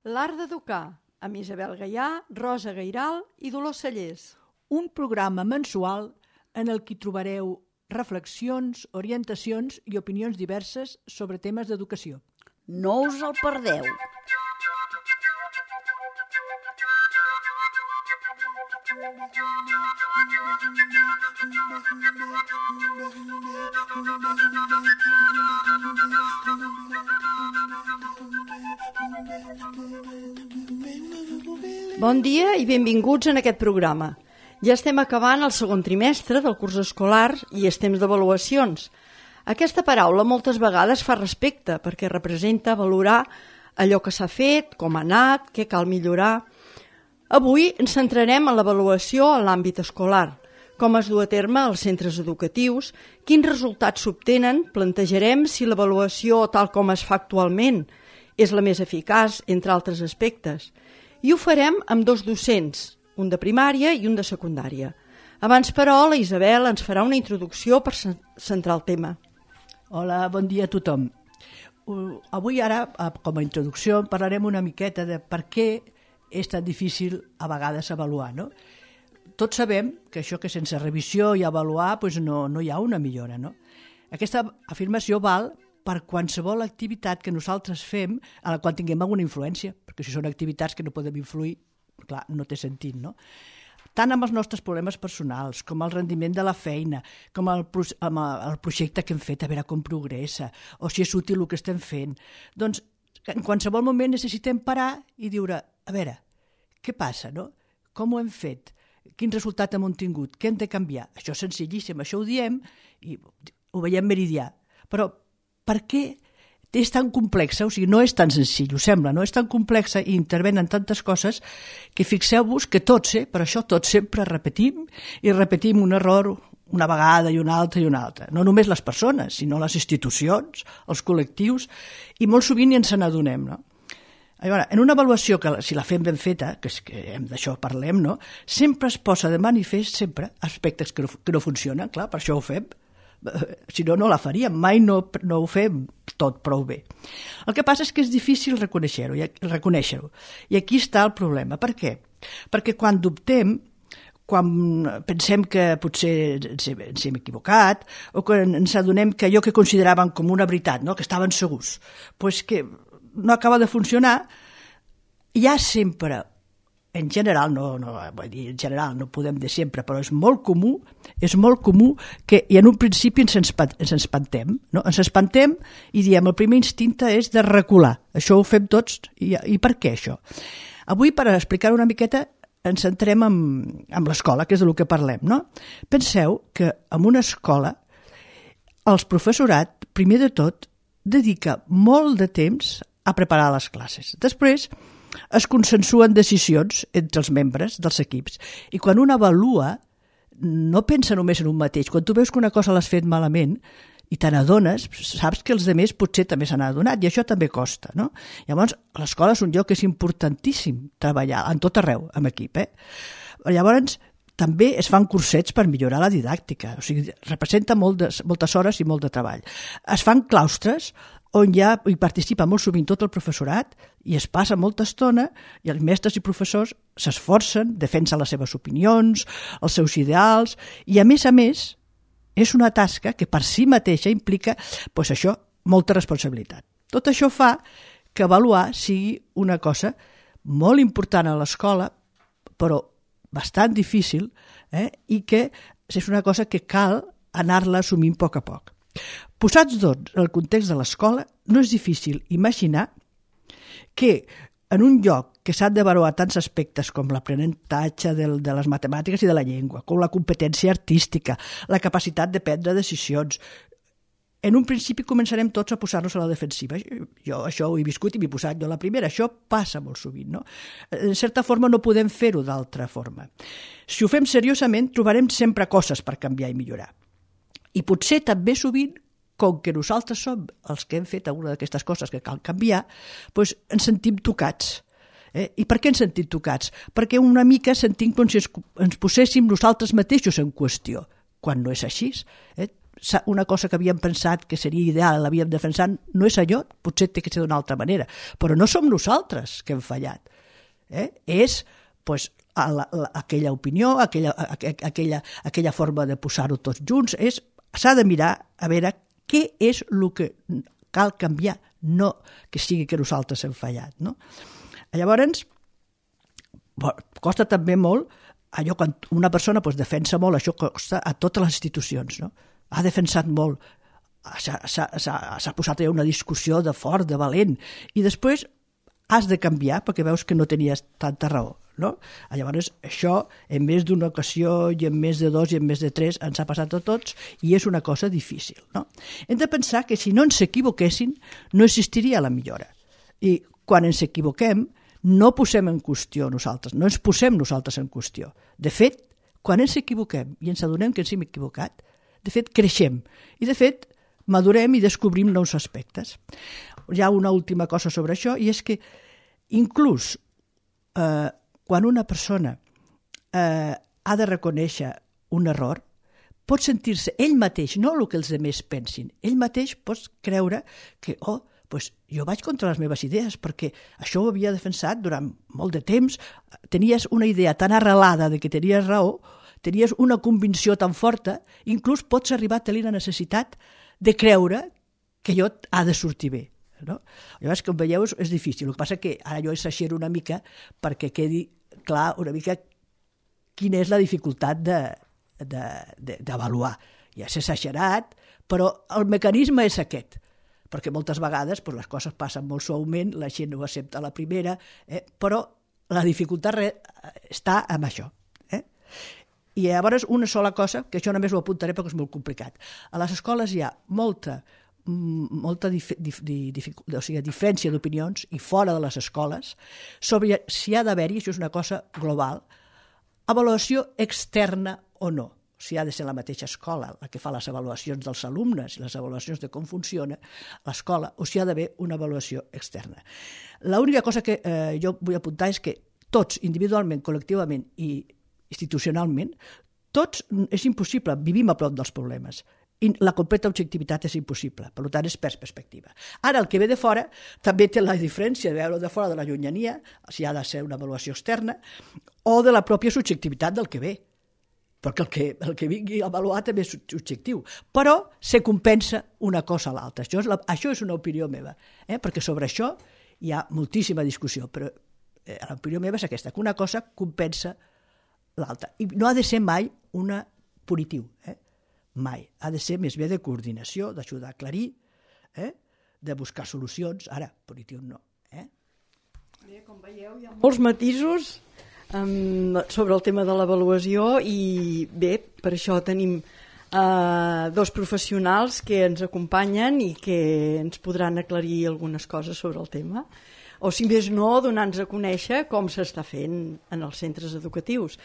L'art d'educar, amb Isabel Gaià, Rosa Gairal i Dolors Cellers. Un programa mensual en el que trobareu reflexions, orientacions i opinions diverses sobre temes d'educació. No us el perdeu. Bon dia i benvinguts en aquest programa. Ja estem acabant el segon trimestre del curs escolar i és temps d'avaluacions. Aquesta paraula moltes vegades fa respecte perquè representa valorar allò que s'ha fet, com ha anat, què cal millorar. Avui ens centrarem en l'avaluació en l'àmbit escolar, com es du a terme als centres educatius, quins resultats s'obtenen, plantejarem si l'avaluació tal com es fa actualment és la més eficaç, entre altres aspectes. I ho farem amb dos docents, un de primària i un de secundària. Abans, però, la Isabel ens farà una introducció per centrar el tema. Hola, bon dia a tothom. Avui ara, com a introducció, parlarem una miqueta de per què és tan difícil a vegades avaluar, no? Tots sabem que això que sense revisió i avaluar no hi ha una millora, no? Aquesta afirmació val per qualsevol activitat que nosaltres fem a la qual tinguem alguna influència, perquè si són activitats que no podem influir, clar, no té sentit, no? Tant amb els nostres problemes personals, com el rendiment de la feina, com el projecte que hem fet, a veure com progressa, o si és útil el que estem fent. Doncs en qualsevol moment necessitem parar i dir, a veure, què passa, no? Com ho hem fet? Quin resultat hem tingut? Què hem de canviar? Això és senzillíssim, això ho diem i ho veiem meridià. Però per què és tan complexa? O sigui, no és tan senzill, ho sembla, no és tan complexa i intervenen tantes coses que fixeu-vos que tots, per això tots sempre repetim i repetim un error una vegada i una altra i una altra. No només les persones, sinó les institucions, els col·lectius, i molt sovint ens n'adonem, no? Llavors, en una avaluació, que si la fem ben feta, que d'això parlem, no? Sempre es posa de manifest sempre aspectes que no funcionen, clar, per això ho fem. Si no, no la faríem, mai no ho fem tot prou bé. El que passa és que és difícil reconèixer-ho, i aquí està el problema. Per què? Perquè quan dubtem, quan pensem que potser ens hem equivocat, o quan ens adonem que allò que consideràvem com una veritat, no? Que estaven segurs, doncs que no acaba de funcionar, hi ha sempre, en general no podem dir sempre, però és molt comú que i en un principi ens espantem, no? Ens espantem i diem el primer instinte és de recular. Això ho fem tots i per què això? Avui, per explicar una miqueta, ens centrem en l'escola, que és del que parlem, no? Penseu que en una escola el professorat, primer de tot, dedica molt de temps a preparar les classes. Després es consensuen decisions entre els membres dels equips i quan un avalua no pensa només en un mateix. Quan tu veus que una cosa l'has fet malament i te n'adones, saps que els altres potser també se n'han adonat i això també costa, no? Llavors, l'escola és un lloc que és importantíssim treballar en tot arreu, amb equip. Llavors, també es fan cursets per millorar la didàctica, o sigui, representa moltes hores i molt de treball. Es fan claustres on hi participa molt sovint tot el professorat i es passa molta estona i els mestres i professors s'esforcen, defensen les seves opinions, els seus ideals i a més, és una tasca que per si mateixa implica, molta responsabilitat. Tot això fa que avaluar sigui una cosa molt important a l'escola, però bastant difícil, i que és una cosa que cal anar-la assumint a poc. Posats, doncs, en el context de l'escola, no és difícil imaginar que en un lloc que s'han d'avaluar tants aspectes com l'aprenentatge de les matemàtiques i de la llengua, com la competència artística, la capacitat de prendre decisions, en un principi començarem tots a posar-nos a la defensiva. Jo això ho he viscut i m'he posat jo a la primera. Això passa molt sovint, no? En certa forma no podem fer-ho d'altra forma. Si ho fem seriosament, trobarem sempre coses per canviar i millorar. I potser també sovint, com que nosaltres som els que hem fet alguna d'aquestes coses que cal canviar, doncs ens sentim tocats. I per què ens sentim tocats? Perquè una mica sentim com si ens poséssim nosaltres mateixos en qüestió, quan no és així. una cosa que havíem pensat que seria ideal, l'havíem defensat, no és allò, potser té que ser d'una altra manera, però no som nosaltres que hem fallat. És aquella opinió, aquella forma de posar-ho tots junts, s'ha de mirar a veure què és el que cal canviar, no que sigui que nosaltres hem fallat. No? Llavors, costa també molt, allò quan una persona defensa molt, això costa a totes les institucions, no? Ha defensat molt, s'ha posat una discussió de fort, de valent, i després has de canviar perquè veus que no tenies tanta raó. No? Llavors, això, en més d'una ocasió, i en més de 2 i en més de 3, ens ha passat a tots, i és una cosa difícil. No? Hem de pensar que si no ens equivoquessin, no existiria la millora. I quan ens equivoquem, no posem en qüestió nosaltres, no ens posem nosaltres en qüestió. De fet, quan ens equivoquem i ens adonem que ens hem equivocat, de fet, creixem. I, de fet, madurem i descobrim nous aspectes. Hi ha una última cosa sobre això, i és que inclús quan una persona ha de reconèixer un error, pot sentir-se ell mateix, no el que els altres pensin, ell mateix pot creure que jo vaig contra les meves idees perquè això ho havia defensat durant molt de temps, tenies una idea tan arrelada de que tenies raó, tenies una convicció tan forta, inclús pots arribar a tenir la necessitat de creure que allò ha de sortir bé. No? Llavors, com veieu, és difícil. El que passa que ara jo exagero una mica perquè quedi clar una mica quina és la dificultat d'avaluar. Ja és exagerat, però el mecanisme és aquest, perquè moltes vegades les coses passen molt suaument, la gent ho accepta a la primera, però la dificultat està en això. I llavors una sola cosa, que això només ho apuntaré perquè és molt complicat. A les escoles hi ha molta diferència d'opinions i fora de les escoles sobre si ha d'haver-hi, això és una cosa global, avaluació externa o no. Si ha de ser la mateixa escola la que fa les avaluacions dels alumnes i les avaluacions de com funciona l'escola, o si ha d'haver una avaluació externa. L'única cosa que jo vull apuntar és que tots, individualment, col·lectivament i institucionalment, tots és impossible, vivim a prop dels problemes. I la completa objectivitat és impossible, per tant és per perspectiva. Ara, el que ve de fora també té la diferència de veure de fora de la llunyania, si ha de ser una avaluació externa, o de la pròpia subjectivitat del que ve, perquè el que vingui avaluat també és subjectiu, però se compensa una cosa a l'altra. Això és una opinió meva, perquè sobre això hi ha moltíssima discussió, però l'opinió meva és aquesta, que una cosa compensa l'altra. I no ha de ser mai una punitiu, mai. Ha de ser més bé de coordinació, d'ajudar a aclarir, de buscar solucions. Ara, punitiu no. Bé, com veieu, hi ha molts matisos sobre el tema de l'avaluació i bé, per això tenim 2 professionals que ens acompanyen i que ens podran aclarir algunes coses sobre el tema. O si més no, donar-nos a conèixer com s'està fent en els centres educatius.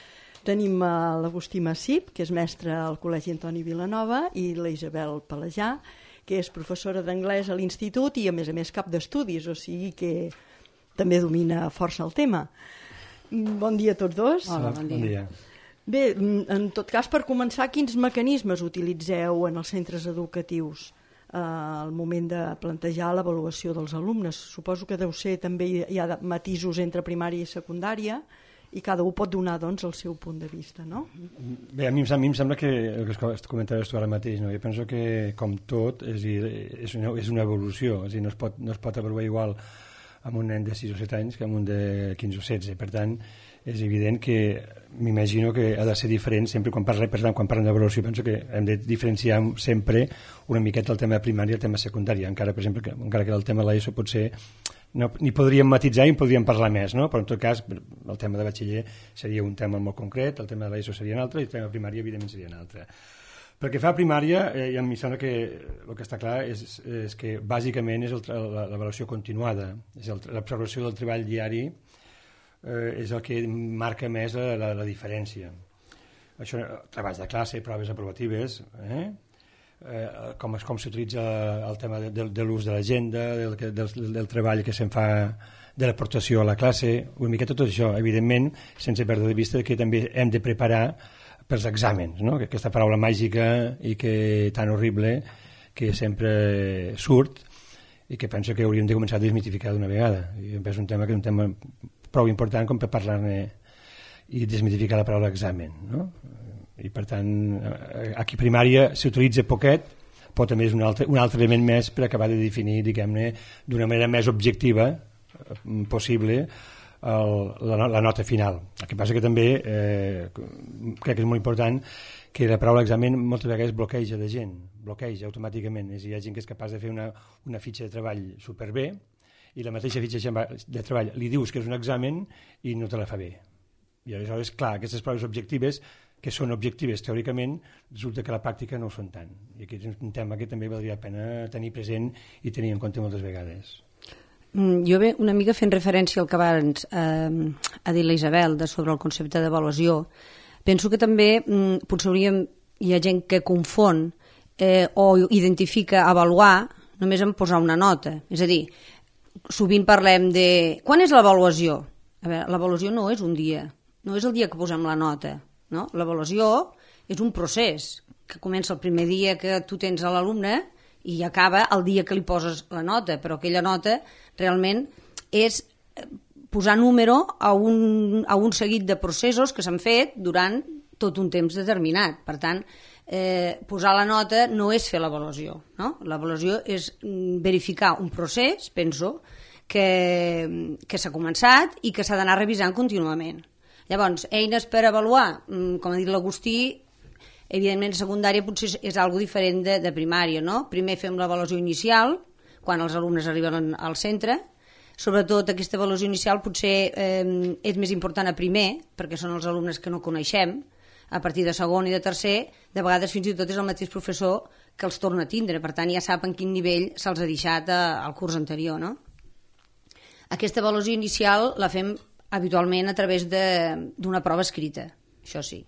Tenim l'Agustí Massip, que és mestre al Col·legi Antoni Vilanova, i la Isabel Palajà, que és professora d'anglès a l'institut i, a més cap d'estudis, o sigui que també domina força el tema. Bon dia a tots dos. Hola, bon dia. Bé, en tot cas, per començar, quins mecanismes utilitzeu en els centres educatius al moment de plantejar l'avaluació dels alumnes? Suposo que deu ser també hi ha matisos entre primària i secundària, i cada un pot donar el seu punt de vista, no? Bé, a mi em sembla que el que comentaves tu ara mateix, no? Jo penso que, com tot, és una evolució, és a dir, no es pot avaluar igual amb un nen de 6 o 7 anys que amb un de 15 o 16. Per tant, és evident que m'imagino que ha de ser diferent sempre quan parlem d'avaluació. Penso que hem de diferenciar sempre una miqueta el tema de primària i el tema secundari. Encara, per exemple, encara que el tema de l'ESO pot ser n'hi podríem matitzar i en podríem parlar més, no? Però en tot cas el tema de batxiller seria un tema molt concret, el tema de l'ESO seria un altre i el tema de primària evidentment seria un altre. Pel que fa a primària, i a mi sembla que el que està clar és que bàsicament és l'avaluació continuada, és l'observació del treball diari, és el que marca més la diferència. Això, treballs de classe, proves aprovatives, com s'utilitza el tema de l'ús de l'agenda, del treball que se'n fa, de l'aportació a la classe, una miqueta tot això, evidentment, sense perdre de vista que també hem de preparar pels exàmens, no? Que aquesta paraula màgica i que tan horrible que sempre surt i que penso que hauríem de començar a desmitificar d'una vegada. I em penso que és un tema prou important com per parlar-ne i desmitificar la paraula examen, no? I per tant, aquí primària s'utilitza poquet, però també és un altre element més per acabar de definir, diguem-ne, d'una manera més objectiva possible la nota final. El que passa que també crec que és molt important que la paraula examen moltes vegades bloqueja de gent, bloqueja automàticament. És a dir, hi ha gent que és capaç de fer una fitxa de treball superbé i la mateixa fitxa de treball li dius que és un examen i no te la fa bé. I aleshores, clar, aquestes proves objectives, que són objectives teòricament, resulta que a la pràctica no ho són tant. I aquest és un tema que també valdria la pena tenir present i tenir en compte moltes vegades. Jo una mica fent referència al que abans ha dit la Isabel sobre el concepte d'avaluació, penso que també potser hi ha gent que confon o identifica avaluar només en posar una nota. És a dir, sovint parlem de... Quan és l'avaluació? A veure, l'avaluació no és un dia, no és el dia que posem la nota. No? L'avaluació és un procés que comença el primer dia que tu tens a l'alumne i acaba el dia que li poses la nota, però aquella nota realment és posar número a un seguit de processos que s'han fet durant tot un temps determinat. Per tant, posar la nota no és fer l'avaluació, no? L'avaluació és verificar un procés, penso, que s'ha començat i que s'ha d'anar revisant contínuament. Llavors, eines per avaluar, com ha dit l'Agustí, evidentment secundària potser és algo diferent de primària, no? Primer fem l'avaluació inicial, quan els alumnes arriben al centre. Sobretot aquesta avaluació inicial potser és més important a primer, perquè són els alumnes que no coneixem. A partir de segon i de tercer, de vegades fins i tot és el mateix professor que els torna a tindre, per tant ja sap en quin nivell se'ls ha deixat al curs anterior, no? Aquesta avaluació inicial la fem habitualment a través d'una prova escrita, això sí.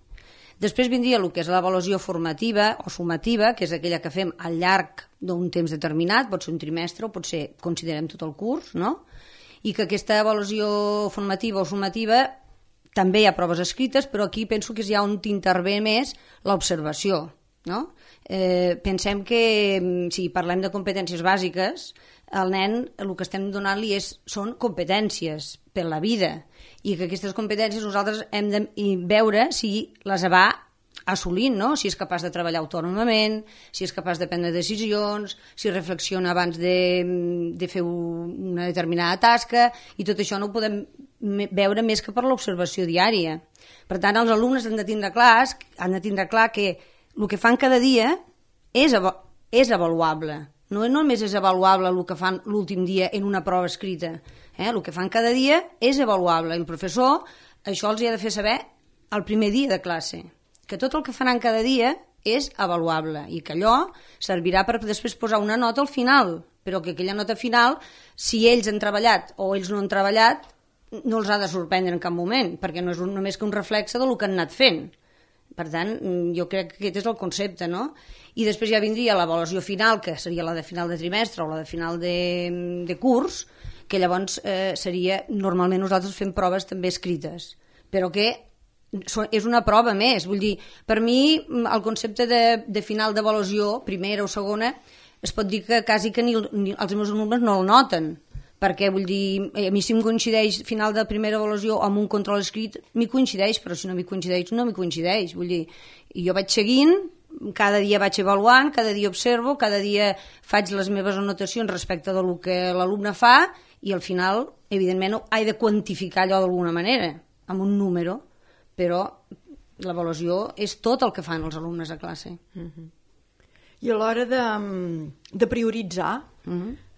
Després vindria el que és l'avaluació formativa o sumativa, que és aquella que fem al llarg d'un temps determinat, pot ser un trimestre o pot ser, considerem tot el curs, no? I que aquesta avaluació formativa o sumativa també hi ha proves escrites, però aquí penso que és ja on t'intervé més l'observació, no? Pensem que si parlem de competències bàsiques, el nen el que estem donant-li són competències per la vida i que aquestes competències nosaltres hem de veure si les va assolint, no? Si és capaç de treballar autònomament, si és capaç de prendre decisions, si reflexiona abans de fer una determinada tasca, i tot això no ho podem veure més que per l'observació diària. Per tant, els alumnes han de tindre clar que el que fan cada dia és avaluable. No només és avaluable el que fan l'últim dia en una prova escrita. El que fan cada dia és avaluable. I el professor això els ha de fer saber el primer dia de classe, que tot el que faran cada dia és avaluable i que allò servirà per després posar una nota al final, però que aquella nota final, si ells han treballat o ells no han treballat, no els ha de sorprendre en cap moment, perquè no és només que un reflexe del que han anat fent. Per tant, jo crec que aquest és el concepte, no? I després ja vindria l'avaluació final, que seria la de final de trimestre o la de final de curs, que llavors seria, normalment nosaltres fem proves també escrites, però que és una prova més. Vull dir, per mi el concepte de final d'avaluació, primera o segona, es pot dir que quasi que ni els meus alumnes no el noten, perquè vull dir, a mi si em coincideix final de primera avaluació amb un control escrit, m'hi coincideix, però si no m'hi coincideix, no m'hi coincideix. Vull dir, i jo vaig seguint, cada dia vaig avaluant, cada dia observo, cada dia faig les meves anotacions respecte del que l'alumne fa i al final, evidentment, he de quantificar allò d'alguna manera, amb un número, però l'avaluació és tot el que fan els alumnes a classe. I a l'hora de prioritzar,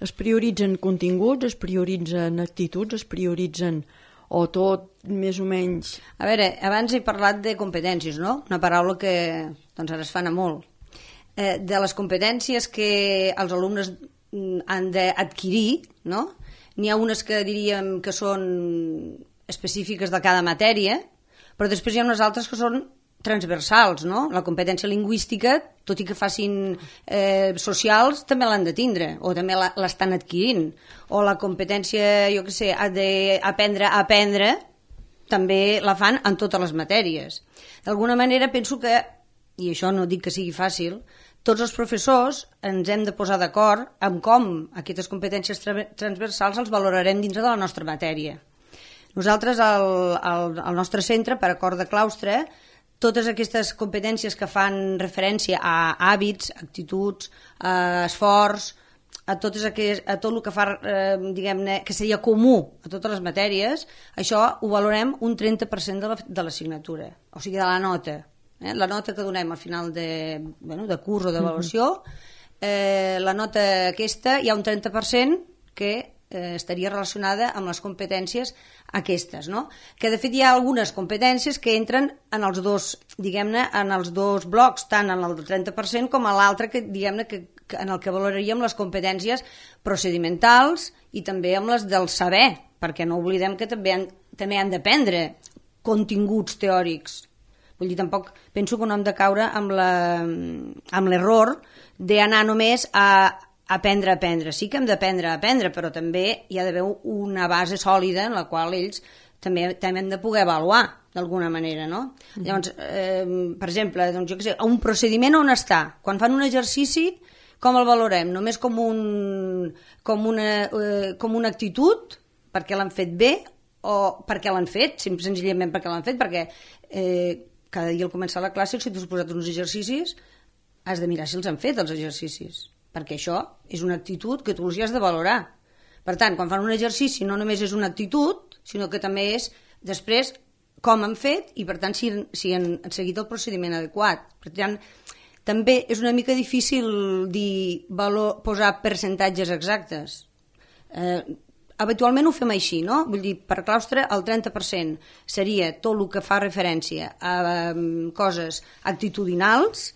es prioritzen continguts, es prioritzen actituds, es prioritzen o tot més o menys... A veure, abans he parlat de competències, no? Una paraula que doncs ara es fa anar molt. De les competències que els alumnes han d'adquirir, no? N'hi ha unes que diríem que són específiques de cada matèria, però després hi ha unes altres que són transversals, no? La competència lingüística, tot i que facin socials, també l'han de tindre, o també l'estan adquirint. O la competència, jo què sé, d'aprendre a aprendre, també la fan en totes les matèries. D'alguna manera penso que, i això no dic que sigui fàcil, tots els professors ens hem de posar d'acord amb com aquestes competències transversals els valorarem dintre de la nostra matèria. Nosaltres, al nostre centre, per acord de claustre, totes aquestes competències que fan referència a hàbits, actituds, esforç, a tot el que fa, diguem-ne, que seria comú a totes les matèries, això ho valorem un 30% de l'assignatura, o sigui, de la nota. La nota que donem al final de curs o d'avaluació, la nota aquesta hi ha un 30% que estaria relacionada amb les competències aquestes, no? Que de fet hi ha algunes competències que entren en els dos, diguem-ne, en els dos blocs, tant en el del 30% com a l'altre, que diguem-ne que en el que valoraríem les competències procedimentals i també amb les del saber, perquè no oblidem que també han d'aprendre continguts teòrics. Vull dir, tampoc penso que no hem de caure amb l'error d'anar només a aprendre. Sí que hem d'aprendre a aprendre, però també hi ha d'haver una base sòlida en la qual ells també hem de poder avaluar d'alguna manera, no? Llavors, per exemple, doncs, jo què sé, un procediment on està? Quan fan un exercici, com el valorem? Només com una actitud, perquè l'han fet bé, o perquè l'han fet, senzillament perquè l'han fet, perquè cada dia al començar la classe, si t'has posat uns exercicis, has de mirar si els han fet, els exercicis, perquè això és una actitud que tu els has de valorar. Per tant, quan fan un exercici no només és una actitud, sinó que també és després com han fet i, per tant, si han seguit el procediment adequat. Per tant, també és una mica difícil posar percentatges exactes. Habitualment ho fem així, no? Vull dir, per claustre el 30% seria tot el que fa referència a coses actitudinals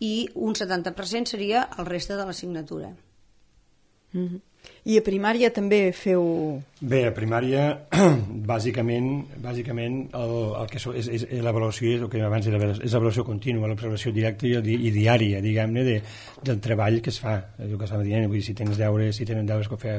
i un 70% seria el reste de l'assignatura. I a primària també feu... Bé, a primària, bàsicament el que és l'avaluació, el que abans era, és l'avaluació contínua, l'observació directa i diària, diguem-ne, del treball que es fa. El que estava dient, vull dir, si tenen deures,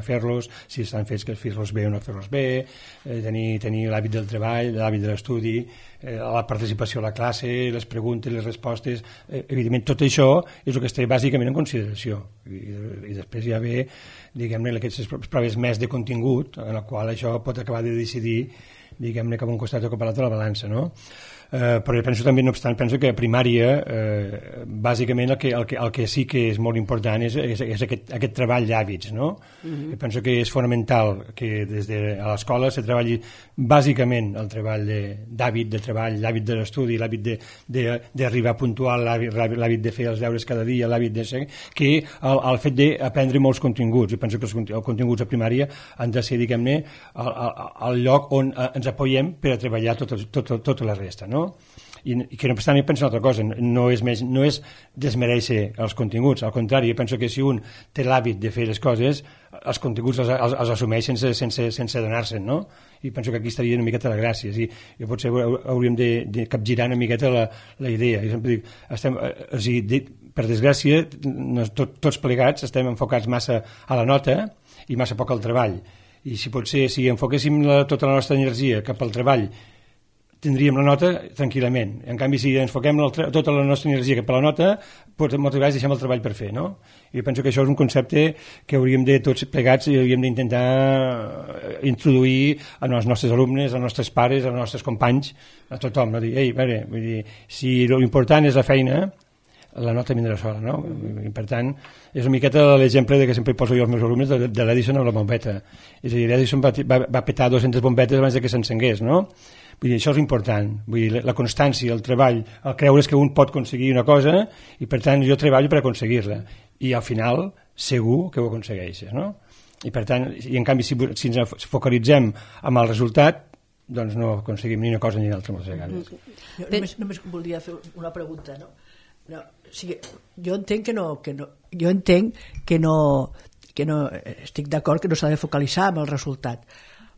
fer-los, si estan fets, que fer-los bé o no fer-los bé, tenir l'hàbit del treball, l'hàbit de l'estudi, la participació a la classe, les preguntes, les respostes... Evidentment, tot això és el que es té bàsicament en consideració. I després hi ha bé, diguem-ne, aquestes proves més de contingut, en la qual això pot acabar de decidir, diguem-ne, cap a un costat o cap a l'altre la balança, no? Però jo penso també, no obstant, que a primària bàsicament el que sí que és molt important és aquest treball d'hàbits, no? Jo penso que és fonamental que des de l'escola se treballi bàsicament el treball d'hàbit de treball, l'hàbit de l'estudi, l'hàbit d'arribar puntual, l'hàbit de fer els deures cada dia, l'hàbit de ser... que el fet d'aprendre molts continguts. Jo penso que els continguts a primària han de ser, diguem-ne, el lloc on ens apoyem per a treballar tota la resta, no? I que no obstant, jo penso una altra cosa, no és desmereixer els continguts, al contrari, jo penso que si un té l'hàbit de fer les coses, els continguts els assumeix sense adonar-se'n, no? I penso que aquí estaria una miqueta la gràcia. Jo potser hauríem de capgirar una miqueta la idea. Jo sempre dic, per desgràcia, tots plegats estem enfocats massa a la nota i massa poc al treball. I si potser, si enfoquéssim tota la nostra energia cap al treball, tindríem la nota tranquil·lament. En canvi, si enfoquem tota la nostra energia cap a la nota, moltes vegades deixem el treball per fer, no? I penso que això és un concepte que hauríem de tots plegats i hauríem d'intentar introduir als nostres alumnes, als nostres pares, als nostres companys, a tothom, no? Dir, vull dir, si l'important és la feina, la nota vindrà sola, no? I per tant, és una miqueta l'exemple que sempre poso jo als meus alumnes de l'Edison amb la bombeta. És a dir, l'Edison va petar 200 bombetes abans que s'encengués, no? Vull dir, això és important. Vull dir, la constància, el treball, el creure's que un pot aconseguir una cosa i, per tant, jo treballo per aconseguir-la. I, al final, segur que ho aconsegueixes, no? I, per tant, i en canvi, si ens focalitzem amb el resultat, doncs no aconseguim ni una cosa ni l'altra moltes vegades. Jo només volia fer una pregunta, no? O sigui, jo entenc que no estic d'acord que no s'ha de focalitzar amb el resultat,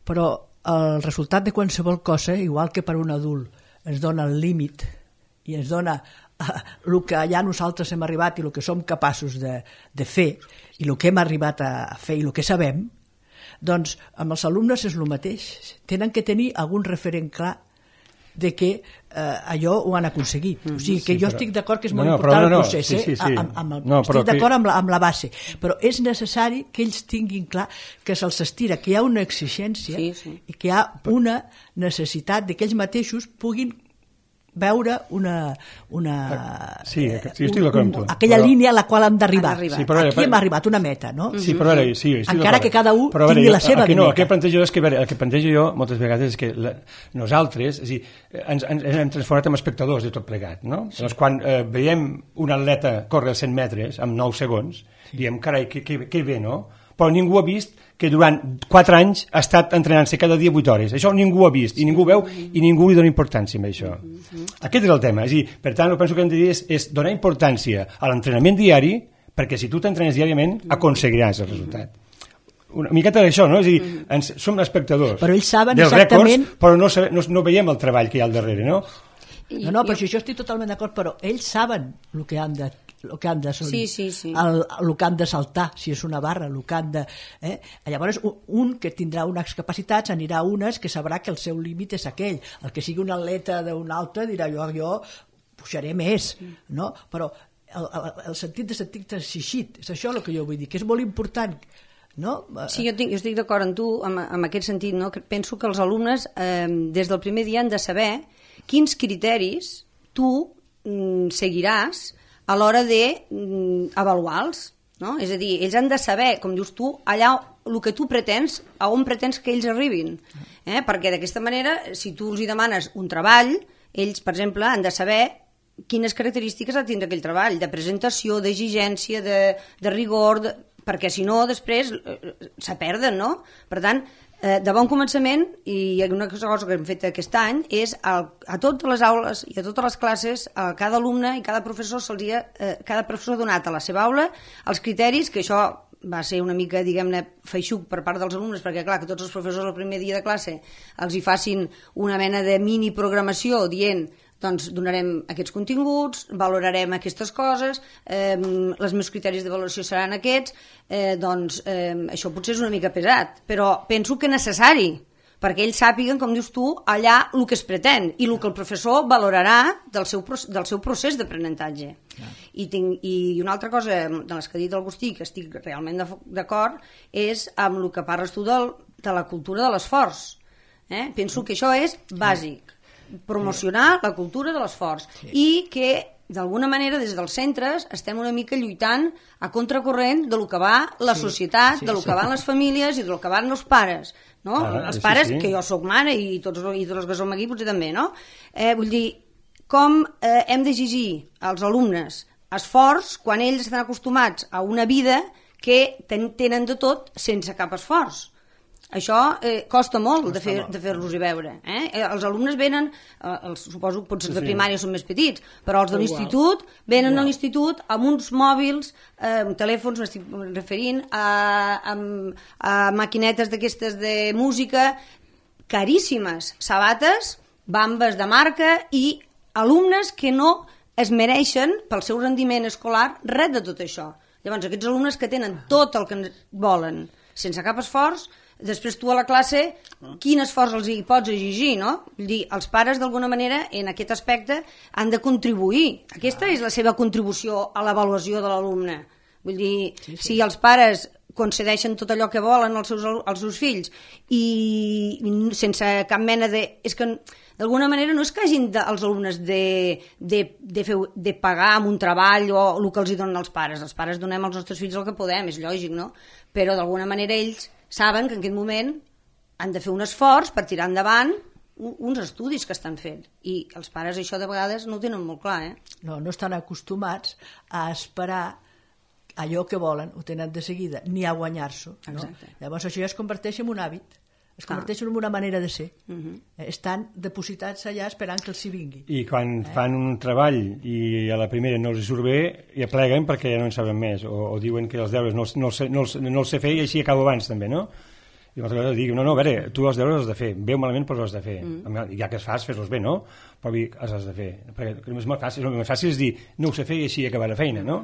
però el resultat de qualsevol cosa, igual que per un adult ens dona el límit i ens dona el que allà nosaltres hem arribat i el que som capaços de fer i el que hem arribat a fer i el que sabem, Doncs amb els alumnes és el mateix. Tenen que tenir algun referent clar de que allò ho han aconseguit. O sigui, que jo estic d'acord que és molt important el procés, estic d'acord amb la base, però és necessari que ells tinguin clar que se'ls estira, que hi ha una exigència i que hi ha una necessitat de que ells mateixos puguin veure aquella línia a la qual hem d'arribar. Aquí hem arribat, una meta, no? Sí, però encara que cada un tingui la seva meta. El que plantejo jo moltes vegades és que nosaltres ens hem transformat en espectadors de tot plegat, no? Llavors, quan veiem un atleta córrer 100 metres en 9 segons, diem, carai, que bé, no? Però ningú ha vist que durant 4 anys ha estat entrenant-se cada dia 8 hores. Això ningú ho ha vist, i ningú ho veu, i ningú li dona importància a això. Aquest és el tema. Per tant, el que penso que hem de dir és donar importància a l'entrenament diari, perquè si tu t'entrenes diàriament, aconseguiràs el resultat. Una miqueta d'això, no? És a dir, som espectadors dels rècords, però no veiem el treball que hi ha al darrere, no? No, però jo estic totalment d'acord, però ells saben el que han de assolir, el que han de saltar, si és una barra, el que han de... Llavors, un que tindrà unes capacitats anirà a unes que sabrà que el seu límit és aquell. El que sigui un atleta d'un altre dirà jo pujaré més, no? Però el sentit de sentir-te exigit, és això el que jo vull dir, que és molt important. No? Sí, jo estic d'acord amb tu en aquest sentit, no? Penso que els alumnes des del primer dia han de saber quins criteris tu seguiràs a l'hora d'avaluar-los, no? És a dir, ells han de saber, com dius tu, allà el que tu pretens, a on pretens que ells arribin, perquè d'aquesta manera, si tu els demanes un treball, ells, per exemple, han de saber quines característiques ha de tindre aquell treball, de presentació, d'exigència, de rigor, perquè si no, després se perden, no? Per tant, de bon començament, i una cosa que hem fet aquest any és a totes les aules i a totes les classes, a cada alumne i cada professor ha donat a la seva aula els criteris, que això va ser una mica, diguem-ne, feixuc per part dels alumnes, perquè clar, que tots els professors el primer dia de classe els hi facin una mena de mini programació dient doncs donarem aquests continguts, valorarem aquestes coses, els meus criteris de valoració seran aquests, doncs això potser és una mica pesat, però penso que necessari, perquè ells sàpiguen, com dius tu, allà el que es pretén i el que el professor valorarà del seu procés d'aprenentatge. I una altra cosa de les que ha dit l'Agustí, que estic realment d'acord, és amb el que parles tu de la cultura de l'esforç. Penso que això és bàsic, promocionar la cultura de l'esforç i que d'alguna manera des dels centres estem una mica lluitant a contracorrent de lo que va la societat, de lo que van les famílies i de lo que van els pares, no? Els pares, que jo soc mare i tots els que som aquí potser també, no? Vull dir, com hem d'exigir als alumnes esforç quan ells estan acostumats a una vida que tenen de tot sense cap esforç. Això costa molt de fer-los-hi veure. Els alumnes venen, suposo que potser de primària són més petits, però els de l'institut venen a l'institut amb uns mòbils, telèfons, m'estic referint, a maquinetes d'aquestes de música caríssimes, sabates, bambes de marca i alumnes que no es mereixen pel seu rendiment escolar res de tot això. Llavors, aquests alumnes que tenen tot el que volen sense cap esforç, després tu a la classe, quin esforç els hi pots exigir, no? Vull dir, els pares d'alguna manera en aquest aspecte han de contribuir. Aquesta és la seva contribució a l'avaluació de l'alumne. Vull dir, si els pares concedeixen tot allò que volen als seus fills i sense cap mena de... És que d'alguna manera no és que hagin els alumnes de pagar amb un treball o el que els hi donen els pares. Els pares donem als nostres fills el que podem, és lògic, no? Però d'alguna manera ells saben que en aquest moment han de fer un esforç per tirar endavant uns estudis que estan fent. I els pares això de vegades no ho tenen molt clar, No estan acostumats a esperar allò que volen, ho tenen de seguida, ni a guanyar-s'ho. Llavors això ja es converteix en un hàbit, es converteix en una manera de ser. Estan depositats allà esperant que els hi vingui. I quan fan un treball i a la primera no els surt bé, ja pleguen perquè ja no en saben més, o diuen que els deures no els sé fer i així acabo abans també, no? I l'altra vegada dic, no, a veure, tu els deures els has de fer, bé o malament però els has de fer, ja que els fas, fes-los bé, no? Però els has de fer, perquè el més fàcil és dir, no ho sé fer i així acabar la feina, no?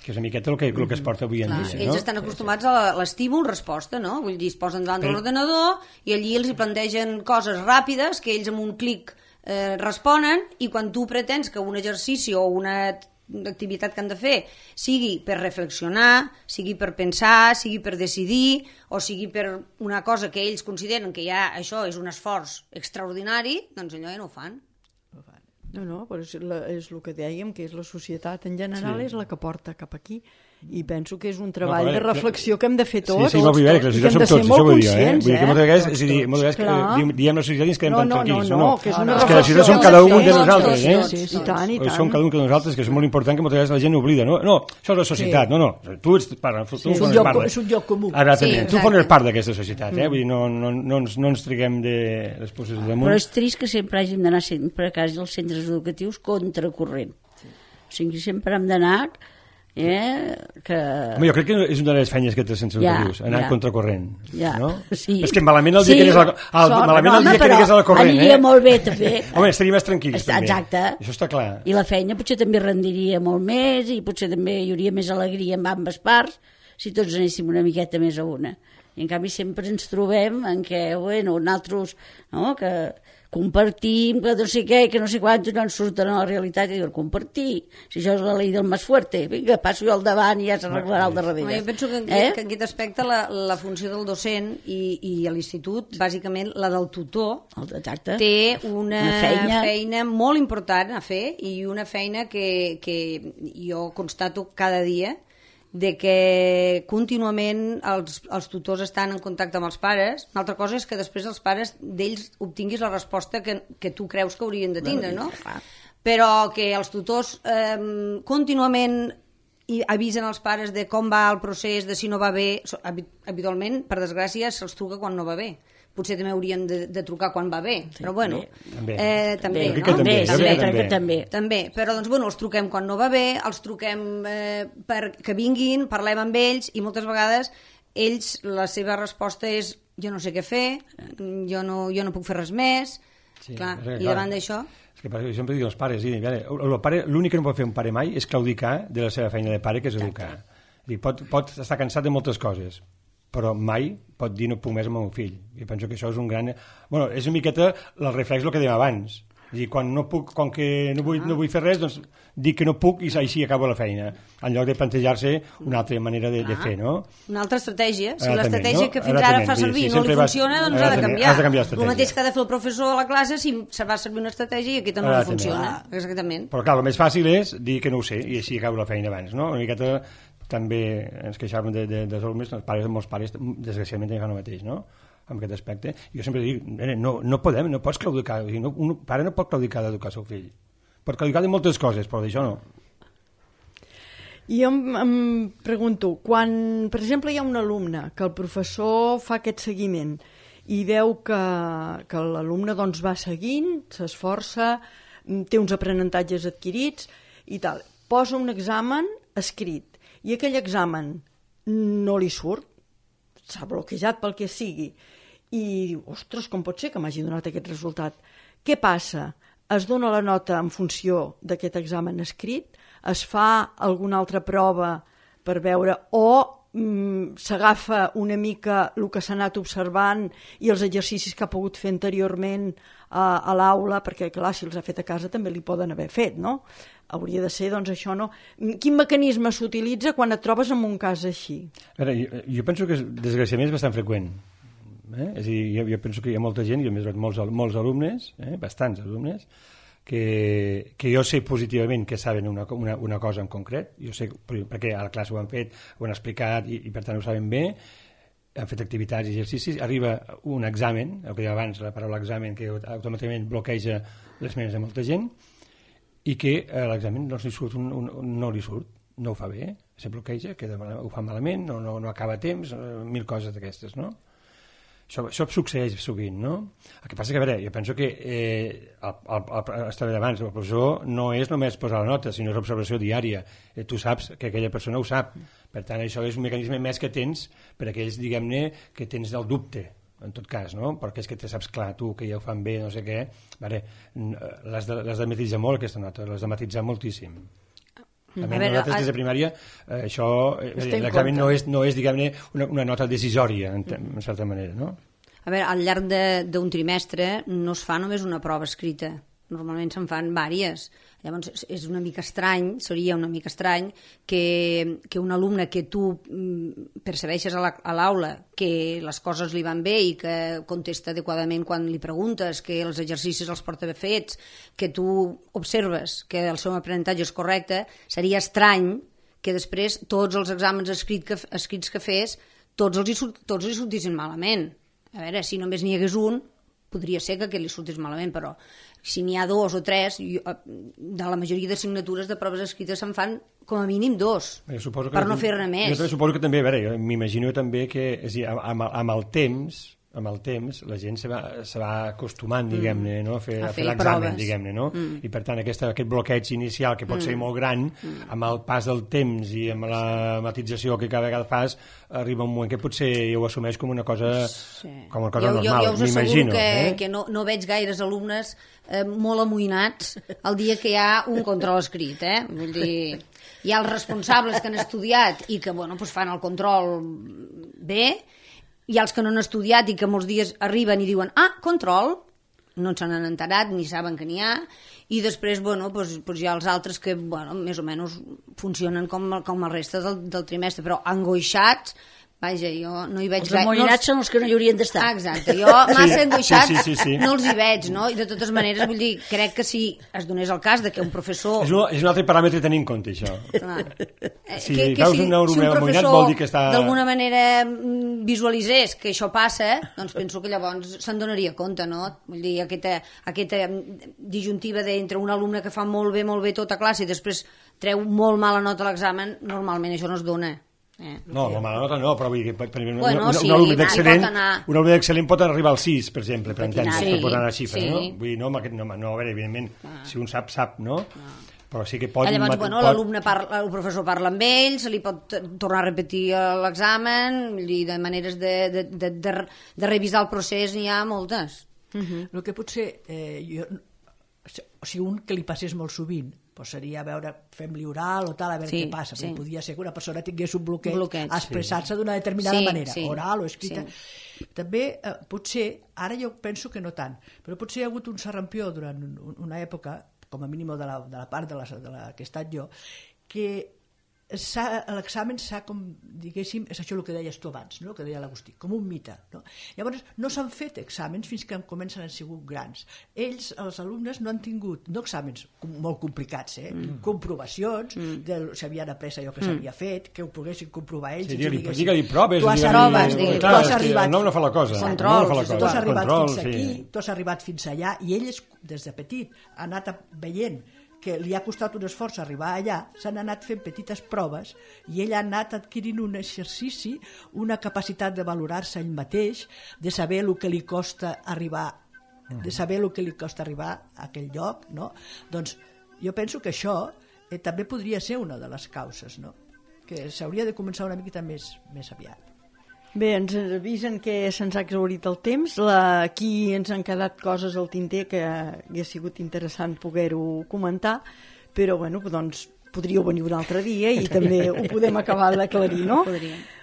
que és una miqueta el que es porta avui en dia. Ells estan acostumats a l'estímul-resposta, no? Vull dir, es posen davant de l'ordenador i allí els hi plantegen coses ràpides que ells amb un clic responen, i quan tu pretens que un exercici o una activitat que han de fer sigui per reflexionar, sigui per pensar, sigui per decidir, o sigui per una cosa que ells consideren que ja això és un esforç extraordinari, doncs allò ja no ho fan. No, però és el que dèiem, que és la societat en general, és la que porta cap aquí. I penso que és un treball de reflexió que hem de fer tots. Sí, molt bé, que la societat som tots, això vull dir, Vull dir que moltes vegades, és a dir, moltes vegades diem la societat i ens quedem tan tranquils. No, que és una reflexió. És que la societat som cada un de nosaltres, I tant, i tant. Som cada un de nosaltres, que és molt important, que moltes vegades la gent oblida, no? No, això és la societat, no. Tu ets part, és un lloc comú. Exactament, tu formes part d'aquesta societat, Vull dir, no ens triguem de les poses damunt. Però és trist que sempre hàgim d'anar sempre a casa dels centres educatius contracorrent. O sigui, sempre hem d'anar... Home, jo crec que és una de les feines que té els centres educatius, anar contracorrent, no? Sí. És que malament el dia que anés a la corrent, aniria molt bé, també. Home, estaria més tranquils, també. Exacte. Això està clar. I la feina potser també rendiria molt més, i potser també hi hauria més alegria amb ambes parts, si tots anéssim una miqueta més a una. I en canvi sempre ens trobem en què, nosaltres, no?, que compartim, que no sé què, que no sé quant, no ens surten a la realitat i diuen, compartir, si això és la llei del més fuerte, vinga, passo jo al davant i ja s'arreglarà al darrere. Jo penso que en aquest aspecte la funció del docent i a l'institut, bàsicament la del tutor, té una feina molt important a fer, i una feina que jo constato cada dia, de que contínuament els tutors estan en contacte amb els pares. Una altra cosa és que després els pares d'ells obtinguis la resposta que tu creus que haurien de tindre, no? Però que els tutors contínuament avisen els pares de com va el procés, de si no va bé. Habitualment, per desgràcia, se'ls truca quan no va bé. Potser també haurien de trucar quan va bé, però bueno, també, però doncs bueno, els truquem quan no va bé, els truquem perquè vinguin, parlem amb ells, i moltes vegades ells, la seva resposta és jo no sé què fer, jo no puc fer res més, clar, i davant d'això... És que jo sempre dic als pares, l'únic que no pot fer un pare mai és claudicar de la seva feina de pare, que és educar. Pot estar cansat de moltes coses, però mai pot dir no puc més amb el meu fill. Jo penso que això és un gran... Bueno, és una miqueta el reflex del que dèiem abans. És a dir, quan que no vull fer res, doncs dic que no puc i així acabo la feina, en lloc de plantejar-se una altra manera de fer, no? Una altra estratègia. Si l'estratègia que fins ara fa servir no li funciona, doncs ha de canviar. El mateix que ha de fer el professor a la classe si se va servir una estratègia i aquesta no li funciona. Exactament. Però clar, el més fàcil és dir que no ho sé i així acabo la feina abans, no? Una miqueta també ens queixàvem dels alumnes, molts pares desgraciadament fan el mateix, no?, en aquest aspecte. Jo sempre dic, no pots claudicar, un pare no pot claudicar d'educar el seu fill. Pot claudicar de moltes coses, però d'això no. I jo em pregunto, quan, per exemple, hi ha un alumne que el professor fa aquest seguiment i veu que l'alumne doncs va seguint, s'esforça, té uns aprenentatges adquirits i tal, posa un examen escrit, i aquell examen no li surt, s'ha bloquejat pel que sigui, i diu, ostres, com pot ser que m'hagi donat aquest resultat? Què passa? Es dona la nota en funció d'aquest examen escrit? Es fa alguna altra prova per veure, o s'agafa una mica el que s'ha anat observant i els exercicis que ha pogut fer anteriorment a l'aula, perquè clar, si els ha fet a casa també li poden haver fet, no? Hauria de ser, doncs, això, no? Quin mecanisme s'utilitza quan et trobes en un cas així? A veure, jo penso que desgraciadament és bastant freqüent. És a dir, jo penso que hi ha molta gent, jo m'he molts alumnes, bastants alumnes, que jo sé positivament que saben una cosa en concret, jo sé perquè a la classe ho han fet, ho han explicat i per tant ho saben bé, han fet activitats i exercicis, arriba un examen, el que deia abans, la paraula examen, que automàticament bloqueja les ments de molta gent, i que l'examen no li surt, no ho fa bé, se bloqueja, ho fa malament, no acaba a temps, mil coses d'aquestes, no? Això succeeix sovint, no? El que passa que, a veure, jo penso que estava d'abans, el professor no és només posar la nota, sinó és observació diària. Tu saps que aquella persona ho sap. Per tant, això és un mecanisme més que tens per a aquells, diguem-ne, que tens el dubte, en tot cas, no? Perquè és que te saps clar tu que ja ho fan bé, no sé què. L'has de matisar molt, aquesta nota, l'has de matisar moltíssim. Nosaltres des de primària això, l'examen no és diguem-ne, una nota decisòria, en certa manera, no? A veure, al llarg d'un trimestre no es fa només una prova escrita, normalment se'n fan vàries. Llavors és una mica estrany, seria una mica estrany que un alumne que tu percebeixes a l'aula que les coses li van bé i que contesta adequadament quan li preguntes, que els exercicis els porta bé fets, que tu observes que el seu aprenentatge és correcte, seria estrany que després tots els exàmens escrits que fes tots li sortissin malament. A veure, si només n'hi hagués un, podria ser que aquest li sortís malament, però si n'hi ha 2 o 3, de la majoria d'assignatures de proves escrites se'n fan com a mínim 2, per no fer-ne més. Jo suposo que també, a veure, m'imagino també que amb el temps la gent se va acostumant, diguem-ne, no? a fer l'examen, diguem-ne, no? I per tant aquest bloqueig inicial que pot ser molt gran, amb el pas del temps i amb la matització que cada vegada fas, arriba un moment que potser ho assumeix com una cosa normal, jo us asseguro que no veig gaires alumnes molt amoïnats el dia que hi ha un control escrit, vull dir, hi ha els responsables que han estudiat i que fan el control bé. Hi ha els que no han estudiat i que molts dies arriben i diuen control, no se n'han enterat ni saben que n'hi ha, i després hi ha els altres que més o menys funcionen com el reste del trimestre, però angoixats, vaja, jo no hi veig gaire. Els amoïnats són els que no hi haurien d'estar. Exacte, jo massa angoixats no els hi veig, no? I de totes maneres, vull dir, crec que si es donés el cas de que un professor... És un altre paràmetre a tenir en compte, això. Si un professor d'alguna manera visualitzés que això passa, doncs penso que llavors se'n donaria compte, no? Vull dir, aquesta disjuntiva d'entre un alumne que fa molt bé tota classe i després treu molt mala nota a l'examen, normalment això no es dona. No, la mala nota no, però vull dir, per exemple, un alumne d'excel·lent pot arribar al 6, per exemple, per entendre, pot anar a xifres, no? Vull dir, no, a veure, evidentment, si un sap, no? Però sí que pot... Llavors, el professor parla amb ell, se li pot tornar a repetir l'examen, de maneres de revisar el procés n'hi ha moltes. El que potser, si un que li passés molt sovint, seria, a veure, fem-li oral o tal, a veure què passa, perquè podia ser que una persona tingués un bloqueig a expressar-se d'una determinada manera, oral o escrita. També, potser, ara jo penso que no tant, però potser hi ha hagut un serrampió durant una època, com a mínim de la part de la que he estat jo, que l'examen s'ha, com diguéssim, és això el que deies tu abans, no? El que deia l'Agustí, com un mite, no? Llavors no s'han fet exàmens fins que comencen a ser grans. Ells, els alumnes, no han tingut no exàmens molt complicats, comprovacions de si havien après allò que s'havia fet, que ho poguessin comprovar ells. Digue-li proves, tu has arribat, no fa la cosa, tu has arribat fins aquí, tu has arribat fins allà, i ells des de petit han anat veient que li ha costat un esforç arribar allà, s'han anat fent petites proves i ell ha anat adquirint un exercici, una capacitat de valorar-se ell mateix, de saber el que li costa arribar a aquell lloc, no? Doncs jo penso que això també podria ser una de les causes, no? Que s'hauria de començar una miqueta més aviat. Bé, ens avisen que se'ns ha exhaurit el temps. Aquí ens han quedat coses al tinter que hauria sigut interessant poder-ho comentar, però doncs podríeu venir un altre dia i també ho podem acabar d'aclarir, no?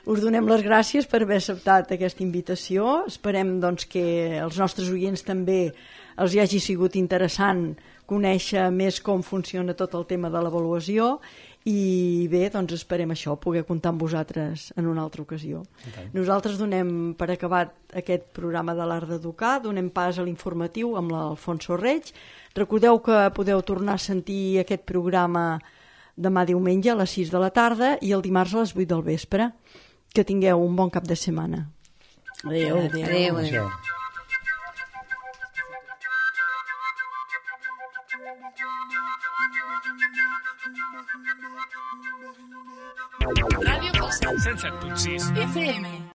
Us donem les gràcies per haver acceptat aquesta invitació. Esperem que els nostres oients també els hi hagi sigut interessant conèixer més com funciona tot el tema de l'avaluació. I bé, esperem això, poder comptar amb vosaltres en una altra ocasió. Nosaltres donem per acabat aquest programa de l'Art d'Educar, donem pas a l'informatiu amb l'Alfonso Reig. Recordeu que podeu tornar a sentir aquest programa demà diumenge a les 6 de la tarda i el dimarts a les 8 del vespre. Que tingueu un bon cap de setmana. Adéu. Ràdio Falset 107.6 FM.